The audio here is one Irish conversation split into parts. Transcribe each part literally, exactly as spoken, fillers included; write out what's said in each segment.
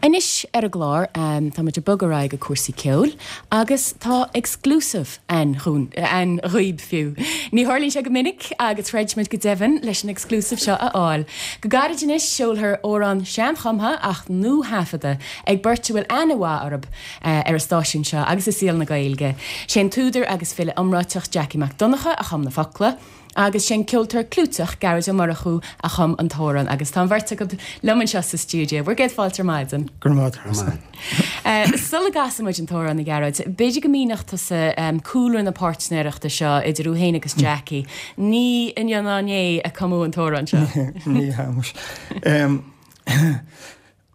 Anois ar an gclár tá muid ag bogadh ar aghaidh go cúrsaí ceoil agus tá exclusive ann ann dhaoibh fiú. Ní tharlaíonn sé go minic agus throid muid go deimhin leis an exclusive seo a fháil. Go gairid anois seolfar amhrán seanchumtha ach nuathaifeadta ag beirt a bhfuil aithne mhaith orthu ar an stáisiún seo agus i saol na Gaeilge. Sé an t-údar agus file iomráiteach Jackie Mac Donncha a chum na focla, agus sé an ceoltóir clúiteach Gearóid Ó Murchú a chum an t-amhrán agus tá an bheirt acu liom anseo sa stiúideo. Bhur gcéad fáilte ar maidin. Go raibh maith. Sula gcasann muid an t-amhrán a Ghearóid, b'fhéidir go míneodh tusa cúlra na páirtnéireachta seo idir thú féin agus Jackie. Ní inniu ná inné a cumadh an t-amhrán seo. Ní hea.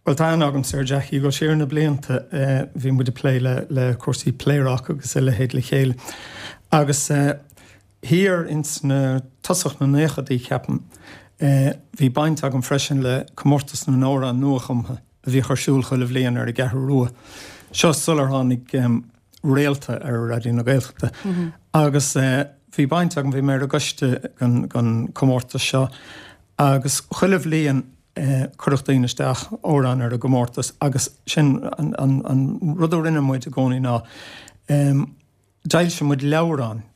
Well tá aithne agamsa ar Jackie go siar na blianta bhí muid ag plé le le cúrsaí Pléaráca agus a leithéid le chéile. Agus thiar ins na tosach na nóchaidí ceapaim, bhí baint agam freisin le comórtas na n-amhrán nuachumtha a bhíodh ar siúl chuile bhliain ar an gCeathrú Rua. Seo sular tháinig Réalta ar Raidió na Gaeltachta. Agus bhí baint agam, bhí mé ar an gcoiste den chomórtas seo agus chuile bhliain chuireadh daoine isteach amhrán ar an gcomórtas agus sin an, an, an rud a rinne muid i gcónaí ná d'fhoilsigh muid leabhrán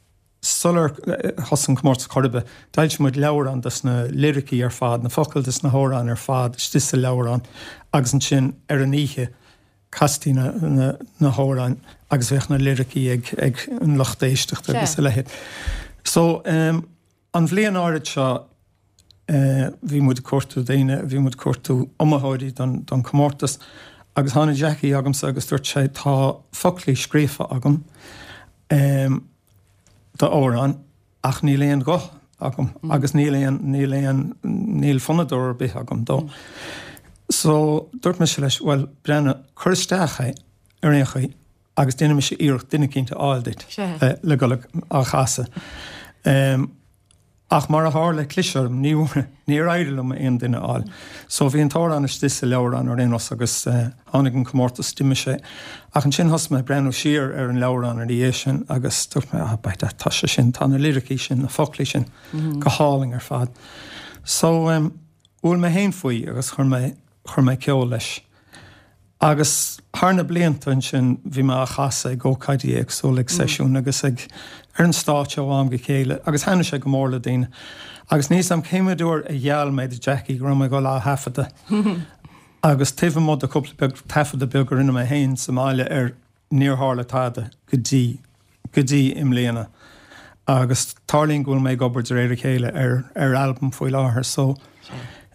sular thosaigh an comórtas chor ar bith, d'fhoilsigh muid leabhrán dos na liricí ar fad, na focail dos na hamhráin ar fad istigh sa leabhrán agus ansin ar an oíche chastaí na, na, na hamhráin agus bheadh na liricí ag, ag an lucht éisteachta agus a leithéid. So um, an bhliain áirid seo uh, bhí muid ag cuartú daoine, bhí muid ag cuartú iomaitheoirí don, don comórtas agus tháinig Jackie chugamsa agus dúirt sé tá foclaí scríofa agam um, d'amhrán ach níl aon ghuth agam mm. agus níl aon níl aon níl fonnadóir ar bith agam dó. Mm. So dúirt mise leis well breathnaigh cuir isteach é ar aon chaoi agus déanfaidh mise iarracht duine eicínt a fháil duit le, le dul á chasadh. Um, ach mar a tharla chlis orm ní níor éirigh liom aon duine a fháil. So bhí an t-amhrán istigh sa leabhrán ar aon nós agus uh, tháinig an comórtas d'imigh sé. Ach ansin thosaigh mé breathnú siar ar an leabhrán ina dhiaidh sin agus dúirt mé ah, beidh tá sé sin tá na liricí sin na foclaí sin mm -hmm. go hálainn ar fad. So um, bhuail mé féin faoi agus chuir mé chuir mé ceol leis. Agus thar na blianta ansin bhí mé á chasadh ag ócáidí éagsúla ag seisiún agus ag ar an stáitse ó am go chéile agus thaitnigh sé go mór le daoine. Agus níos am céim uair a gheall mé do Jackie go raibh mé ag dul á thaifeadadh. Agus taobh amuigh de cúpla beag taifeadadh beag a rinne mé féin sa mbaile ar níor tharla tada go dtí go dtí i mbliana. Agus tarlaíonn go bhfuil mé ag obair de réir a chéile ar ar albam faoi láthair so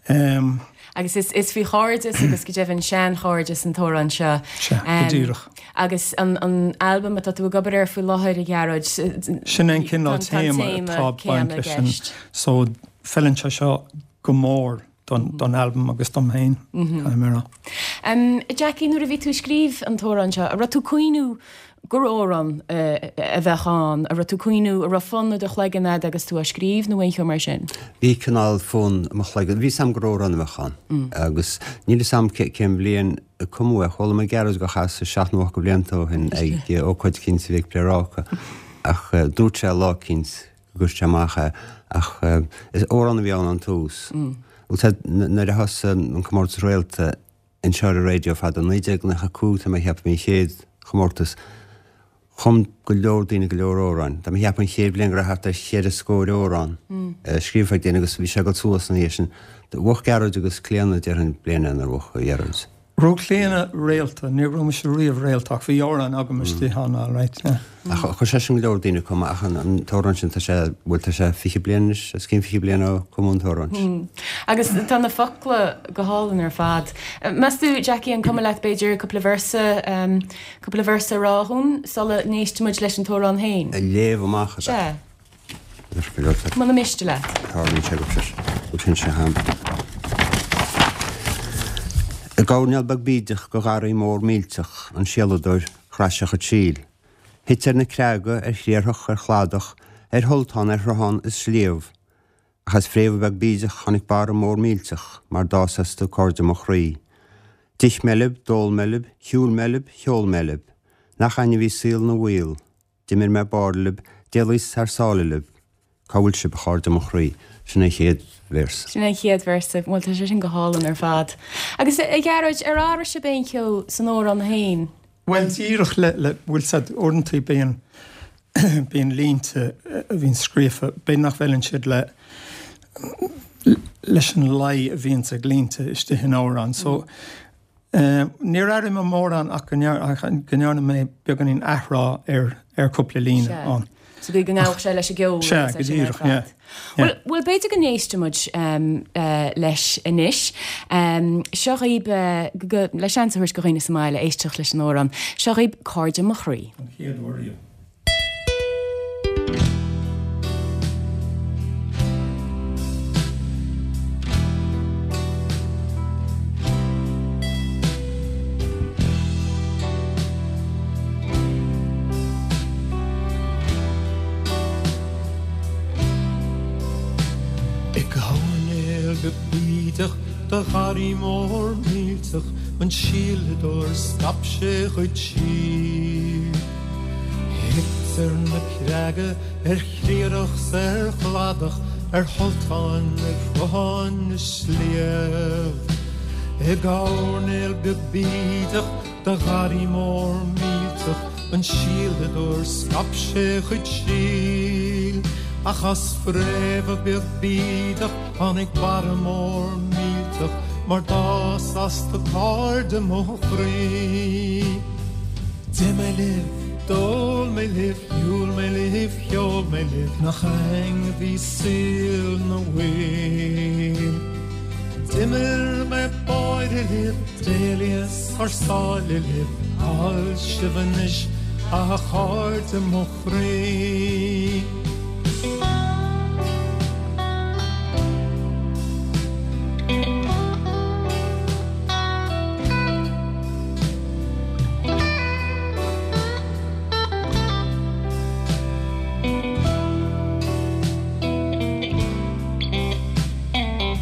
um, Agus is, is faoi chairdeas agus go deimhin seanchairdeas an t-amhrán seo. Sea, go díreach. Agus an, an albam atá tú ag obair air faoi láthair a Ghearóid. Sin an cineál téama atá baint leis sin. So feileann sé seo go mór don, don albam agus dom féin. Mm -hmm. Um, Jackie, nuair a bhí tú ag scríobh an t-amhrán seo, a raibh tú ag cuimhniú gur amhrán uh, a bheadh ann, a raibh tú ag cuimhniú a raibh fonn i do chloigeann agat agus tú á scríobh nó aon cheo mar sin? Bhí cineál fonn i mo chloigeann, bhí a fhios a'm gur amhrán a bheadh ann. Mm. Agus níl a fhios a'm cén bhliain a cumadh é, chuala mé Gearóid á chasadh seacht nó ocht de bhlianta ó shin ag ócáid eicínt a bhí ag Pléaráca ach dúirt sé lá eicínt go gcuirfeadh sé amach é ach is amhrán a bhí ann ón tús. Nuair a thosaigh an comórtas Réalta anseo ar an raidió fada naoi déag nócha cúig tá mé ag ceapadh bhí an chéad chomórtas. Chum go leor daoine go leor amhráin. Tá mé ag ceapadh an chéad bhliain go raibh thart ar cheithre scór amhrán scríofa ag daoine agus bhí sé ag dul suas ina dhiaidh sin. Bhuaigh Gearóid agus Clíona déarfainn bliain nár bhuaigh Gearóid. Raibh Clíona réalta, ní raibh mise riamh réalta ach bhí amhrán agam istigh ann all right, yeah. Ach chuir sé sin go leor daoine ag cumadh ach an t-amhrán sin tá sé, bhuel tá sé fiche bliain anois, os cionn fiche bliain ó cumadh an t-amhrán sin. Agus tá na focla go hálainn ar fad. Meas tú, Jackie, an cuma leat b'fhéidir cúpla véarsa, cúpla véarsa a rá dhúinn sula n-éistfidh muid leis an t-amhrán féin? A léamh amach, ab ea? Sea. Muna miste leat. Tarlaíonn sé go go sin sé ham. I gcoirnéal beag bídeach de gharraí mór millteach, an síoladóir chraith sé a chuid síl. Thit ar na creaga, ar chriathrach, ar chladach, ar shultán, ar shruthán is sliabh. Ach as fréamha beag bídeach tháinig barra mór millteach mar d'fhás astu cairde mo chroí. D'ith mé libh, d'ól mé libh, shiúil mé libh, cheol mé libh. Nach a'inn a bhí saol 'na mhaol. D'imir mé báire libh, d'éalaíos thar sáile libh. Cá bhfuil sibh a chairde mo chroí? Sin an chéad véarsa. Sin an chéad véarsa, bhuel tá sé sin go hálainn ar fad. Agus a Ghearóid, ar athraigh sibh aon cheo san amhrán féin? Bhuel díreach le le bhfuil said uaireanta bíonn bíonn línte a bhíonn scríofa, b'fhéidir nach bhfeileann siad le leis an lí a bhíonns ag línte istigh in amhrán. So níor athraigh mé mórán ach go ndearna mé beagáinín athrá ar ar cúpla líne ann. So go ngabhadh sé leis an gceol. Sea, go díreach, yeah. Well, well b'fhéidir go n-éistfidh muid um, uh, leis anois. Um, seo dhaoibh uh, go, le seans a thabhairt do dhaoine sa mbaile éisteacht leis an amhrán. Seo dhaoibh Cairde mo chroí. An chéad uair riamh. I gcoirnéal beag bídeach de gharraí mór millteach an síoladóir scaip sé a chuid síl. Thit ar na creaga, ar chriathrach 's ar chladach, ar sholltáin, ar shrutháin is sliabh. I gcoirnéal beag bídeach de gharraí mór millteach an síoladóir scaip sé a chuid síl. Ach as fréamh beag bídeach tháinig barra mór millteach mar d'fhás astu cairde mo chroí. D'ith mé libh, d'ól mé libh, shiúil mé libh, cheol mé libh, nach a'inn a bhí saol na bhfuil. D'imir mé báire libh, d'éalaíos thar sáile libh, cá bhfuil sibh anois, a chairde mo chroí.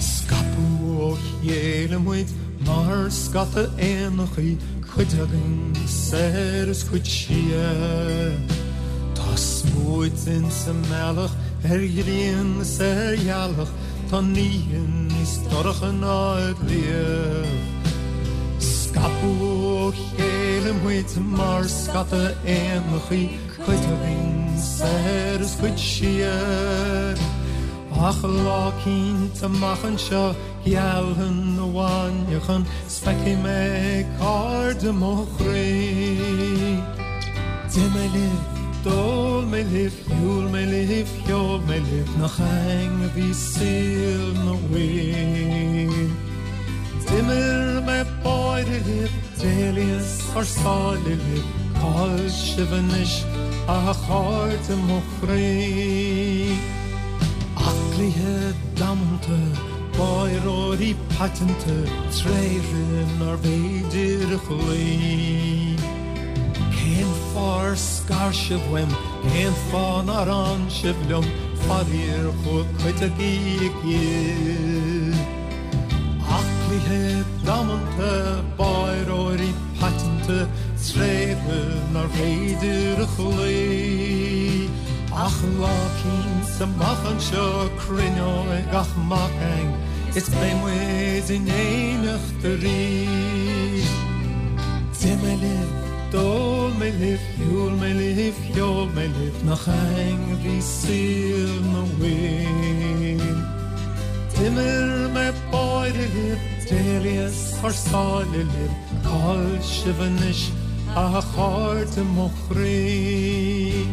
Scaipeadh ó chéile muid mar scata éanachaí, cuid againn soir is cuid siar. Tá smúit insa mbealach ar ghrian is ar ghealach, tá an oíche níos dorcha ná riamh. Scaipeadh ó chéile muid mar scata éanachaí, cuid againn soir is cuid siar. Ach lá eicínt amach anseo gealfaidh an mhainneachan 's feicfidh mé cairde mo chroí. D'ith mé libh, d'ól mé libh, shiúil mé libh, cheol mé libh, nach a'inn a bhí saol na bhfuil. D'imir mé báire libh, d'éalaíos thar sáile libh, cá bhfuil sibh anois, a chairde mo chroí. Aclaithe damanta, báireoirí paiteanta, tréithre nárbh fhéidir a chloí. Cén fáth ar scar sibh uaim, cén fáth nár fhan sibh liom, faraor chuaigh cuid agaibh i gcill. Aclaithe damanta, báireoirí paiteanta, tréithre nárbh fhéidir a chloí. Ach lá eicínt amach anseo cruinneoidh gach mac againn is beidh muid in éineacht arís. D'ith mé libh, d'ól mé libh, shiúil mé libh, cheol mé libh, nach a'inn a bhí saol na bhfuil. D'imir mé báire libh, d'éalaíos thar sáile libh, cá bhfuil sibh anois, a chairde mo chroí.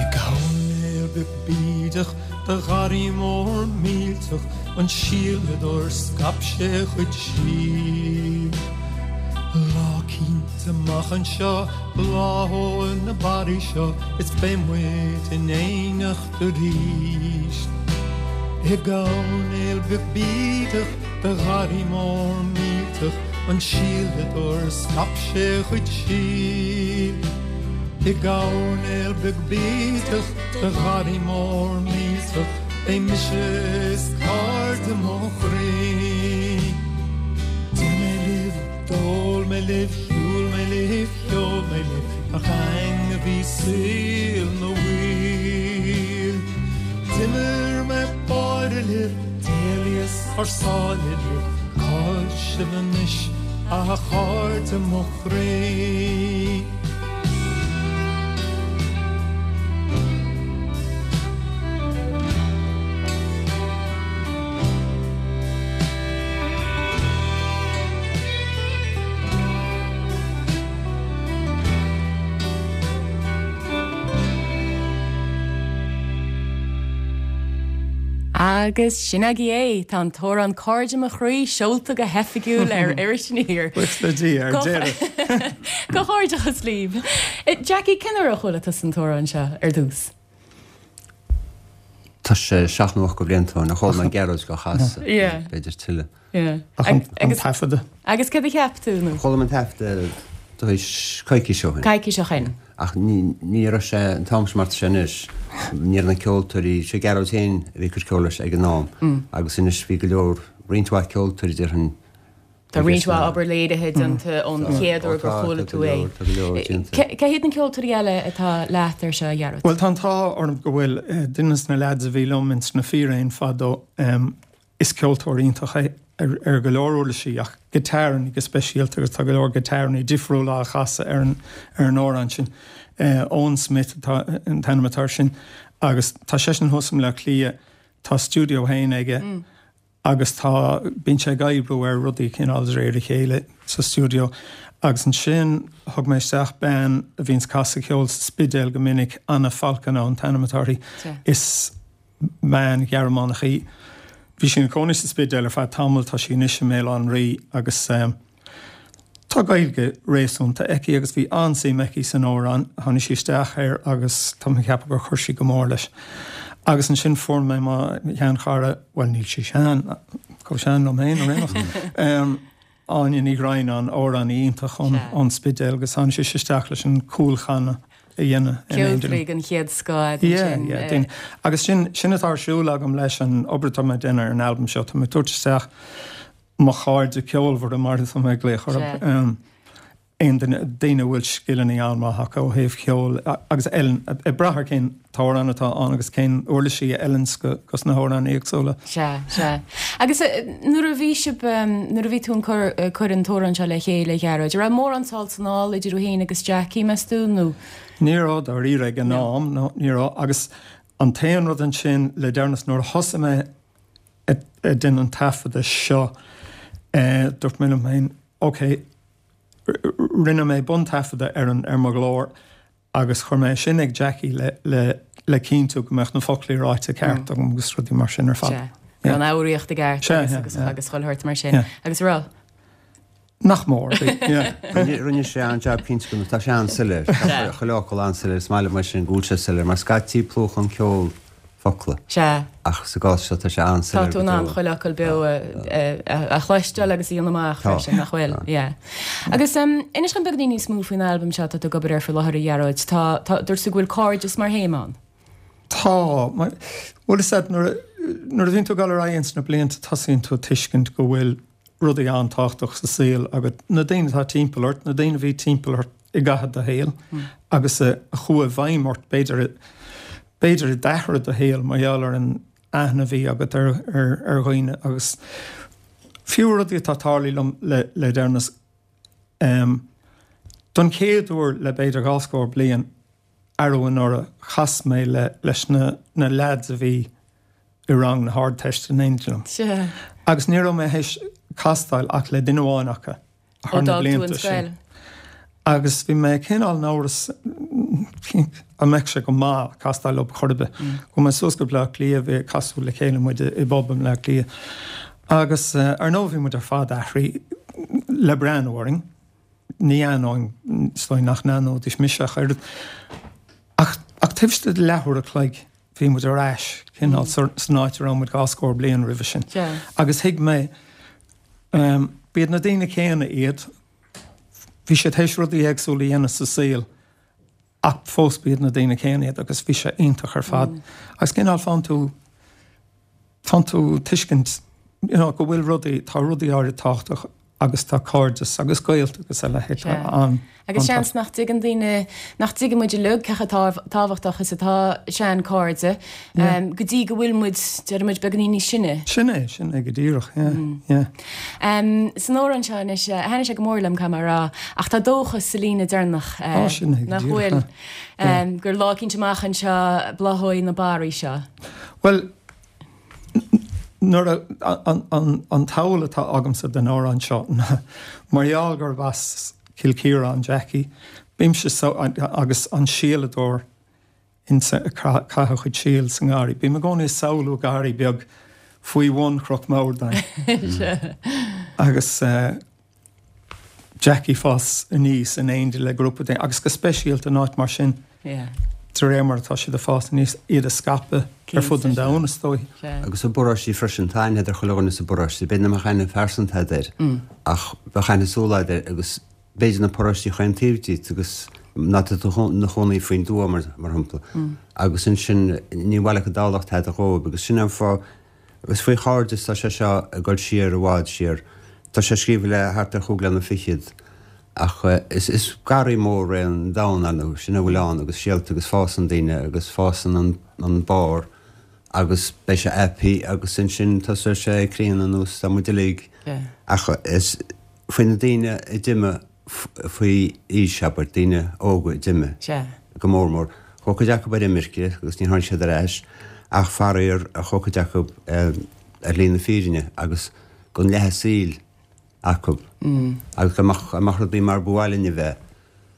I gcoirnéal beag bídeach de gharraí mór millteach an síoladóir scaip sé a chuid síl. Lá eicínt amach anseo bláthóidh na barraí seo is beidh muid in éineacht arís. I gcoirnéal beag bídeach de gharraí mór millteach an síoladóir scaip sé a chuid síl. I gcoirnéal beag bideach de gharraí mór millteach beidh mise is cairde mo chroí. D'ith mé libh, d'ól mé libh, shiúil mé libh, cheol mé libh, nach againn a bhí saol na bhfuíoll. D'imir mé báire libh, d'éalaíos thar sáile libh, cá bhfuil sibh anois, a chairde mo chroí? Agus sin agaibh é, tá an t-amhrán Cairde mo Chroí seolta go hoifigiúil ar Iris Aniar. Buíochas le Dia ar deireadh. Comhghairdeachas libh. Jackie, cén uair a chuala tusa an t-amhrán seo ar dtús? Tá sé seacht nó ocht de bhlianta ó shin a chuala mé Gearóid á chasadh, b'fhéidir tuilleadh. Ach an taifeadadh? Agus céard a cheap tú nó? Chuala mé an taifeadadh tar éis coicís ó shin. Coicís ó shin. Ach ní raibh sé an t-am sin mar atá sé anois. Ní raibh na ceoltóirí, sé Gearóid féin a bhí ag cur ceoil leis ag an am agus anois bhí go leor, roinnt mhaith ceoltóirí déarfainn. Tá roinnt mhaith obair léirithe déanta ón chéad uair gur chuala tú é. Tá go leor déanta. Cé hiad na ceoltóirí eile atá leat ar seo, a Ghearóid? Bhuel, tá an t-ádh orm go bhfuil duine de na leaids a bhí liom ins na Fíréin fadó, Is ceoltóir iontach é ar go leor uirlisí ach giotárannaí go speisialta agus tá go leor giotárannaí difriúla á chasadh ar an ar an amhrán sin. Eoin Smith atá an t-ainm atá air sin agus tá seisean thuas i mBleá Cliath, tá stiúideo féin aige agus tá, bíonn sé ag oibriú ar rudaí cineál de réir a chéile sa stiúideo. Agus ansin thug mé isteach bean a bhíonns ag casadh ceoil sa Spidéal go minic, Anna Falkenau an t-ainm atá uirthi. Is. Bean Ghearmánach í. Bhí sí ina cónaí sa Spidéal ar feadh tamaill, tá sí anois i mBéal Átha an Rí agus tá Gaeilge réasúnta aici agus bhí an-suim aici san amhrán. Tháinig sí isteach air agus tá mé ag ceapadh gur chuir sí go mór leis. Agus ansin fuair mé mo sheanchara, bhuel níl sí sean, chomh sean liom féin ar aon nós, Áine Ní Dhroighneáin, amhránaí iontach ón Spidéal agus tháinig sise isteach leis an cúlchanadh. a dhéanamh in éindí liom. Ceoltóirí den chéad scoth ansin. Yeah, yeah. Agus sin, sin atá ar siúl agam leis an obair atá mé ag déanamh ar an albam seo. Tá mé ag tabhairt isteach mo chairde ceolmhara mar atá mé ag glaoch orthu. Aon duine, daoine a bhfuil scileanna an-mhaith acu ó thaobh ceoil agus a fheileann, ag brath ar cén t-amhrán atá ann agus cén uirlisí a fheileanns dos na hamhráin éagsúla. Sea, sea. Agus nuair a bhí sibh, nuair a bhí tú ag cur, cur an t-amhrán seo le chéile, a Ghearóid, an raibh mórán sall 's anall idir thú féin agus Jackie, meas tú, nó? Ní raibh, dáiríre, ag an am, no, ní raibh. Agus an t-aon rud ansin le deireanas, nuair a thosaigh mé ag déanamh an taifeadadh seo, dúirt mé liom féin, ok, rinne mé buntaifeadadh ar an, ar mo ghlór, Agus chuir mé sin ag Jackie le, le, le cinntiú go mbeadh na foclaí ráite ceart agam agus rudaí mar sin ar fad. Sea. Go raibh an fhoghraíocht i gceart agus, agus, agus chuile shórt mar sin. Agus raibh? Nach mór, bhí, yeah. Rinne, rinne sé an-jab cinnte go, tá sé an-soiléir. Tá chuile fhocal an-soiléir, is maith liom é sin go bhfuil sé soiléir mar scaití plúchann ceol focla. Sea. Ach sa gcás seo tá sé an-soiléir Tá tú in ann chuile fhocal beo a chloisteáil agus a dhéanamh amach freisin, nach bhfuil? Yeah. Agus inis dom beagáinín níos mó faoin albam seo atá tú ag obair air faoi láthair, a Ghearóid. Tá, tá, dúirt tú go bhfuil cairdeas mar théama ann. Tá. Bhuel, is ea, nuair a, nuair a bhíonn tú ag dul ar aghaidh ins na blianta tosaíonn tú ag tuiscint go bhfuil rudaí an-tábhachtach sa saol agat, na daoine atá timpeall ort, na daoine a bhí timpeall ort i gcaitheamh do shaoil agus a chuaigh i bhfeidhm ort, b'fhéidir, b'fhéidir a d'athraigh do shaol mar gheall ar an aithne a bhí agat ar, ar, ar dhaoine agus fiú rudaí atá tarlaithe liom le, le deireanas, don chéad uair le b'fhéidir dhá scór bliain, arú anuraidh, chas mé le, leis na, na leaids a bhí i rang na hArdteiste in éindí liom. Agus ní raibh mé théis castáil ach le duine amháin acu thar na blianta sin. Agus bhí mé cineál in amhras an mbeadh sé go maith castáil leo chor ar bith. Chuaigh mé suas go Bleá Cliath, bhí casadh le chéile muid i bpub i mBleá Cliath. Agus ar ndóigh bhí muid ar fad athraithe le breathnú orainn. Ní aithneoinn, is dóigh nach n-aithneoidís mise ach oiread. Ach ach taobh istigh de leathuair a chloig bhí muid ar ais cineál san áit a raibh muid dhá scór bliain roimhe sin. Agus thuig mé, b'iad na daoine céanna iad, bhí siad théis rudaí éagsúla a dhéanamh sa saol Ach fós b'iad na daoine céanna iad agus bhí sé iontach ar fad. Agus cineál faigheann tú faigheann tú tuiscint you know, go bhfuil rudaí, tá rudaí áirid tábhachtach agus tá cairdeas agus gaolta agus a leithéid an. Agus seans nach dtuigeann daoine, nach dtuigeann muid uilig cé chomh tábhachtach is atá sean-chairde go dtí go bhfuil muid, déarfaidh muid, beagáinín níos sine. Sin é, sin é go díreach, yeah, yeah. San amhrán seo anois, thaitnigh sé go mór liom, caithfidh mé a rá, ach tá dóchas sa líne deireanach, nach bhfuil, gur lá eicínt amach anseo bláthóidh na barraí seo. Bhuel, nuair a, an, an, an tsamhail atá agamsa den amhrán seo ná mar gheall gurb as Cill Chiaráin Jackie, bímse so, agus an síoladóir insa, ag caitheamh a chuid síl sa ngarraí. Bím i gcónaí ag samhlú garraí beag faoi bhun Chnoc Mordáin. Agus Jackie ag fás aníos in éindí le grúpa daoine, agus go speisialta in áit mar sin, de réir mar atá siad ag fás aníos, iad a scaipeadh ar fud an domhain, is dóigh. Agus i bparóistí freisin, tá aithne ar chuile dhuine sa bparóiste. B'fhéidir nach mbeadh aithne phearsanta agat air, ach bheadh aithne súl agat air agus b'fhéidir na paróistí chaon taobh díot agus má tá tú ina chónaí faoin dtuath, mar shampla. Agus ansin ní bhaile go Tamhlacht tada dhóibh agus sin an fáth. Is faoi chairdeas tá sé seo ag dul siar i bhfad siar. Tá sé scríofa le thart ar chúig bliana fichead ach is is garraí mór é an domhan ar ndóigh, sin a bhfuil ann agus síolta agus fásann daoine agus fásann an an barr agus beidh sé aipí agus ansin tosóidh sé ag críonadh anuas tá muid uilig ach is faoi na daoine a d'imigh faoi aois, abair, daoine óga a d'imigh go mór mór. Chuaigh cuid acu ar imirce agus níor tháinig siad ar ais ach faraor chuaigh cuid acu ar shlí na fírinne agus gan leath a saoil acu. Agus dá mbeadh, dá mbeadh rudaí mar ba mhaith linn a bheith,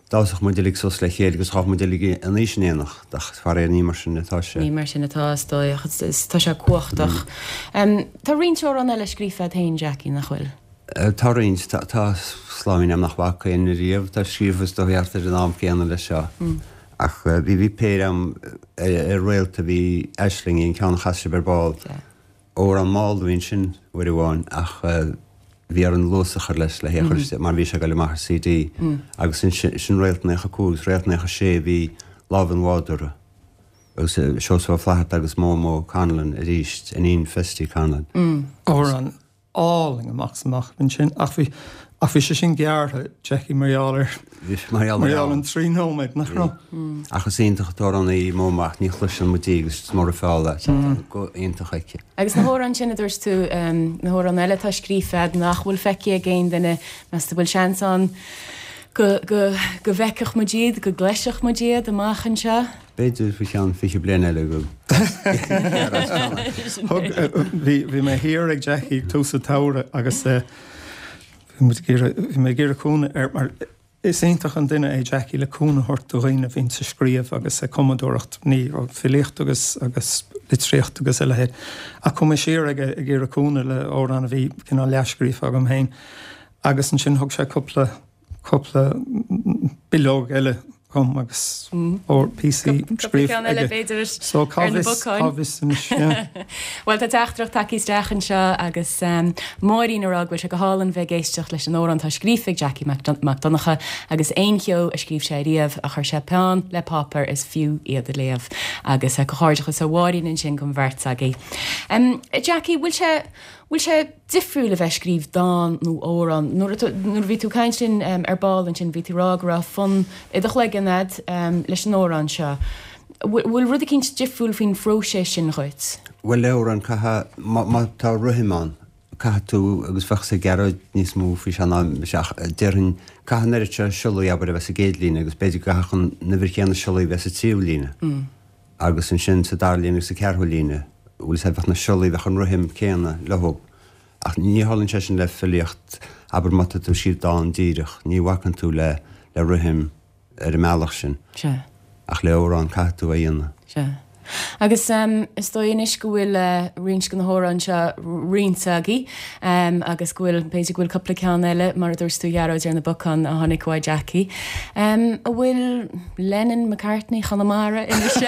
d'fhásfadh muid uilig suas le chéile agus ghabhfadh muid uilig in aois in éineacht ach faraor ní mar sin atá sé. Ní mar sin atá, is dóigh, ach is, tá sé cumhachtach. Tá roinnt amhrán eile scríofa agat féin, Jackie, nach bhfuil? Tá roinnt. Tá sláimín agam nach bhfaca éinne riamh. Tá scríofa is dóigh thart ar an am céanna leis seo. Ach bhí bhí péire agam ar Réalta, bhí Aislingí, an ceann a chas sibh ar ball. Amhrán mall a bhí ansin uair amháin ach bhí orainn luas a chur leis le hé a chur isteach mar bhí sé ag dul amach ar CD. Agus ansin sin Réalt naocha cúig agus Réalt naocha sé bhí Lámh an Bhádóra agus Seosamh Ó Flatharta agus Momo Conlon arís, iníon Festy Conlon. Amhrán álainn amach is amach ansin ach bhí ach bhí sé sin gearrtha, Jackie, mar gheall ar Bhí sé mar gheall mar gheall an trí nóiméad, nach raibh? Ach is iontach an t-amhrán í Momo ach ní chloiseann muid í agus is mór an feall é. Tá guth iontach aici. Agus na hamhráin sin a dúirt tú, na hamhráin eile atá scríofa agat nach bhfuil feicthe ag aon duine, meas tú bhfuil seans ann go go go bhfeicfeadh muid iad, go gcloisfeadh muid iad amach anseo? B'fhéidir faoi cheann fiche bliain eile go Thug, bhí, bhí mé thiar ag Jackie ag tús an tsamhraidh agus bhí muid ag iarraidh, bhí mé ag iarraidh cúnamh air mar is iontach an duine é Jackie le cúnamh a thabhairt do dhaoine a bhíonns ag scríobh agus ag cumadóireacht, ní, filíocht agus, agus litríocht agus a leithéid. Ach chuaigh mé siar aige ag iarraidh cúnamh le amhrán a bhí cineál leathscríofa agam féin agus ansin thug sé cúpla, cúpla bileog eile dhom agus píosaí scríofa aige. So cá bhfios, cá bhfios anois, yeah. Bhuel, tá teachtaireacht tagtha isteach anseo agus Máirín ag rá go bhfuil sé go hálainn bheith ag éisteacht leis an amhrán atá scríofa ag Jackie Mac Donncha agus aon cheo a scríobh sé riamh a chuir sé peann le páipéar is fiú iad a léamh. Agus comhghairdeachas ó Mháirín ansin don bheirt agaibh. Jackie, bhfuil sé, bhfuil sé difriúil a bheith ag scríobh dán nó amhrán? Nuair a nuair a bhí tú ag caint linn ar ball ansin bhí tú ag rá go raibh fonn i do chloigeann a'd leis an amhrán seo. Bhfuil rud eicínt difriúil faoin phróiseas sin dhuit? Bhuel le amhrán caithfidh, má má tá rithim ann, caithfidh tú, agus bheadh a fhios ag Gearóid níos mó faoi seo ná mise ach déarfainn, caithfidh an oiread seo siollaí abair a bheith sa gcéad líne agus b'fhéidir go gcaithfeadh an uimhir chéanna siollaí a bheith sa tríú líne. Agus ansin sa dara líne agus sa ceathrú líne, bhfuil 'fhios a'd, bheadh na siollaí, bheadh an rithim céanna leo. Ach ní tharlaíonn sé sin le filíocht, abair má tá tú ag scríobh dán díreach, ní bhacann tú le le rithim ar an mbealach sin. Sea. Ach le amhrán caithfidh tú é a dhéanamh. Sea. Agus is dóigh anois go bhfuil roinnt de na hamhráin seo roinnte agaibh agus go bhfuil, b'fhéidir go bhfuil cúpla ceann eile, mar a dúirt tú a Ghearóid, ar na bacáin a tháinig uaidh Jackie. An bhfuil Lennon, McCartney, Chonamara anois?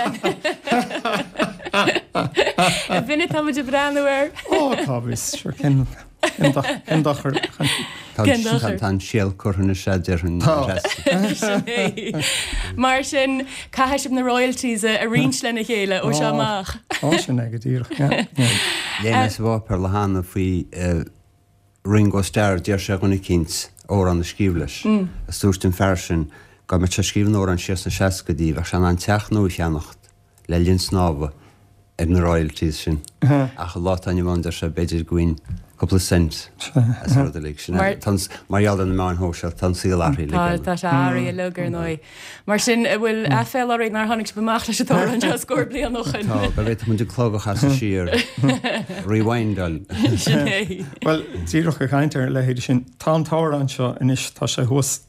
B'in atá muid ag breathnú air. Ó, cá bhfios, sure cén Cén dochar? Cén dochar? Tá an síol curtha anois déarfainn. Tá. Sin é. Mar sin, caithfidh sibh na royalties a roinnt lena chéile ó seo amach. Ó, sin é go díreach, yeah, yeah. Léigh mé sa bpáipéar lá cheana faoi Ringo Starr, d'iarr sé ar dhuine eicínt amhrán a scríobh leis. Is dúirt an fear sin dá mbeadh sé ag scríobh an amhráin siar sna seascaidí, bheadh sé in ann teach nua a cheannacht le linn snámha ar na royalties sin. Ach an lá atá inniu ann, deir sé, b'fhéidir go bhfaighinn cúpla cent as an rud uilig sin. Mar- Tá an s- mar gheall ar na meáin shóisialta, tá an saol athraithe Tá uilig. tá sé athraithe uilig ar ndóigh. Mar sin, an bhfuil aiféala oraibh nár tháinig sibh amach leis an t-amhrán seo scór bliain ó shin? Tá, go bhféadfadh muid an clog a chasadh siar, rewindáil. Sin é. Bhuel, díreach ag caint ar a leithéid sin, tá an t-amhrán seo anois, tá sé thuas,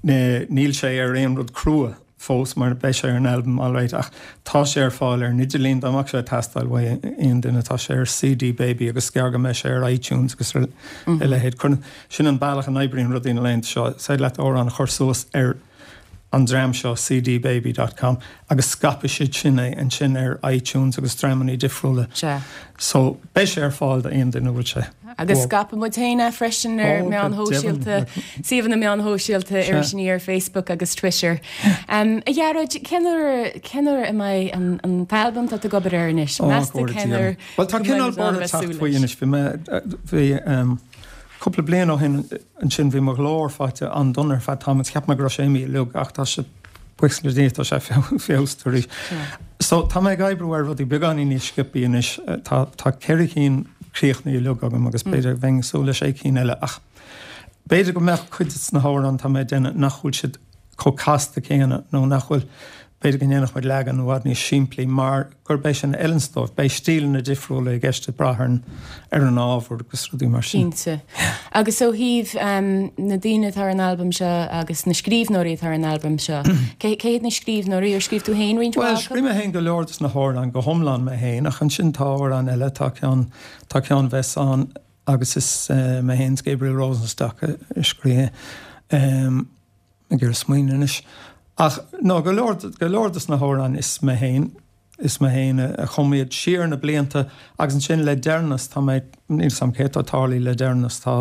níl sé ar aon rud crua fós mar beidh sé ar an albam alright ach tá sé ar fáil ar an idirlíon dá mbeadh sé ag teastáil uaidh aon duine, tá sé ar CD Baby agus gearr go mbeidh sé ar iTunes agus ar a leithéid. Cuireann, sin an bealach a n-oibríonn rudaí na laethanta seo, is féidir leat amhrán a chur suas ar an dream seo cdbaby dot com agus scaipfidh siad sin é ansin ar iTunes agus dreamanna difriúla. Sea. So beidh sé ar fáil d'aon duine a bhfuil sé. Agus scaipfidh muid féin é freisin ar Ó, meáin go shóisialta, deimhin. suíomhanna meáin shóisialta, Sea. Iris Aniar, Facebook agus Twitter. Um, a Ghearóid, cén uair, cén uair a mbeidh an, an t-albam atá tú ag obair air anois? Ó, Meas tú go cén uair deimhin. Bhuel, tá go cineál mbeidh muid in ann borradh bheith teacht súil faoi leis? anois. Bhí mé, bhí, um, cúpla bliain ó shin ansin bhí mo ghlór faighte an-dona ar feadh tamaill. Cheap mé go raibh sé imithe uilig ach tá sé buíochas le Dia tá sé feabhsaithe arís. So tá mé ag oibriú ar rudaí beagáinín níos sciobthaí anois. Tá, tá ceithre cinn críochnaithe uilig agam agus b'fhéidir bheinn ag súil le sé cinn eile ach b'fhéidir go mbeadh cuid de na hamhráin atá mé ag déanamh nach bhfuil siad chomh casta céanna nó nach bhfuil b'fhéidir go ndéanfadh muid leagan i bhfad níos simplí mar gurb é sin a fheileanns dóibh. Beidh stíleanna difriúla i gceist ag brath ar an, ar an ábhar agus rudaí mar sin. Cinnte. Agus ó thaobh na daoine atá ar an albam seo agus na scríbhneoirí atá ar an albam seo, cé, cé hiad na scríbhneoirí? Ar scríobh tú féin roinnt Bhuel, mhaith acu? scríobh mé féin go leor dos na hamhráin, go hiomlán mé féin, ach ansin tá amhráin eile, tá ceann, tá ceann a bheas ann agus is mé féin is Gabriel Rosenstock a scríobh é. Ag iarraidh smaoineamh anois. Ach no, go leor, go leor dos na hamhráin is mé féin, is mé féin a chum iad siar na blianta agus ansin le deireanas tá mé, níl 'fhios a'm cé atá tarlaithe le deireanas, tá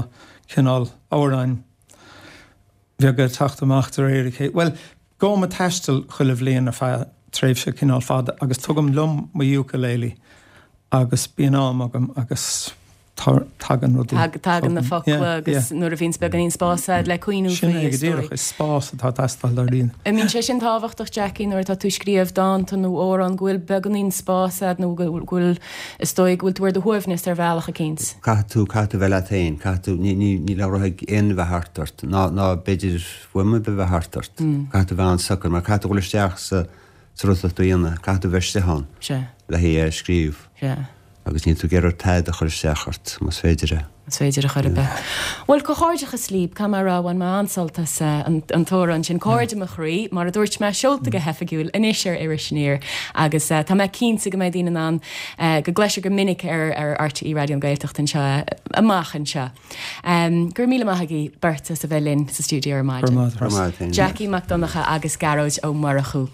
cineál amhráin bheaga ag teacht amach de réir a chéile. Bhuel, gabhaim ag taisteal chuile bhliain ar feadh tréimhse cineál fada agus tugaim liom mo ukulele agus bíonn am agam agus tagann rudaí. Tagann na focla agus nuair a bhíonns beagáinín spás agat le cuimhniú Sin faoi, é go is dóigh. díreach, is spás atá ag teastáil dáiríre. An mbíonn sé sin tábhachtach, Jackie, nuair atá tú ag scríobh dánta nó amhrán, go bhfuil beagáinín spás agat nó go bhfuil, is dóigh, go bhfuil tú ar do shuaimhneas ar bhealach eicínt? Caithfidh tú, caithfidh tú bheith leat féin, caithfidh tú, ní, ní, níl aon rud ag aon bheith thart ort, ná, ná b'fhéidir fuaim ar bith bheith thart ort. Caithfidh tú bheith an-socair, mar caithfidh tú dhul isteach sa, sa rud atá tú a dhéanamh, caithfidh tú bheith istigh ann. Sea. Le hé a scríobh. Sea. Agus níl tú ag iarraidh tada a chur isteach ort, más féidir é. Más féidir a chur ar bith. Bhuel, comhghairdeachas libh, caithfidh mé a rá, bhain mé an-sult as an t-amhrán sin, Cairde mo Chroí, mar a dúirt mé, seolta go hoifigiúil anois ar Iris Aniar agus tá mé cinnte go mbeidh daoine in ann go gcloisfear go minic ar ar RTÉ Raidió na Gaeltachta anseo amach anseo. Go raibh míle maith agaibh beirt as a bheith linn sa stiúideo ar maidin. Go raibh maith agat. Jackie Mac Donncha agus Gearóid Ó Murchú.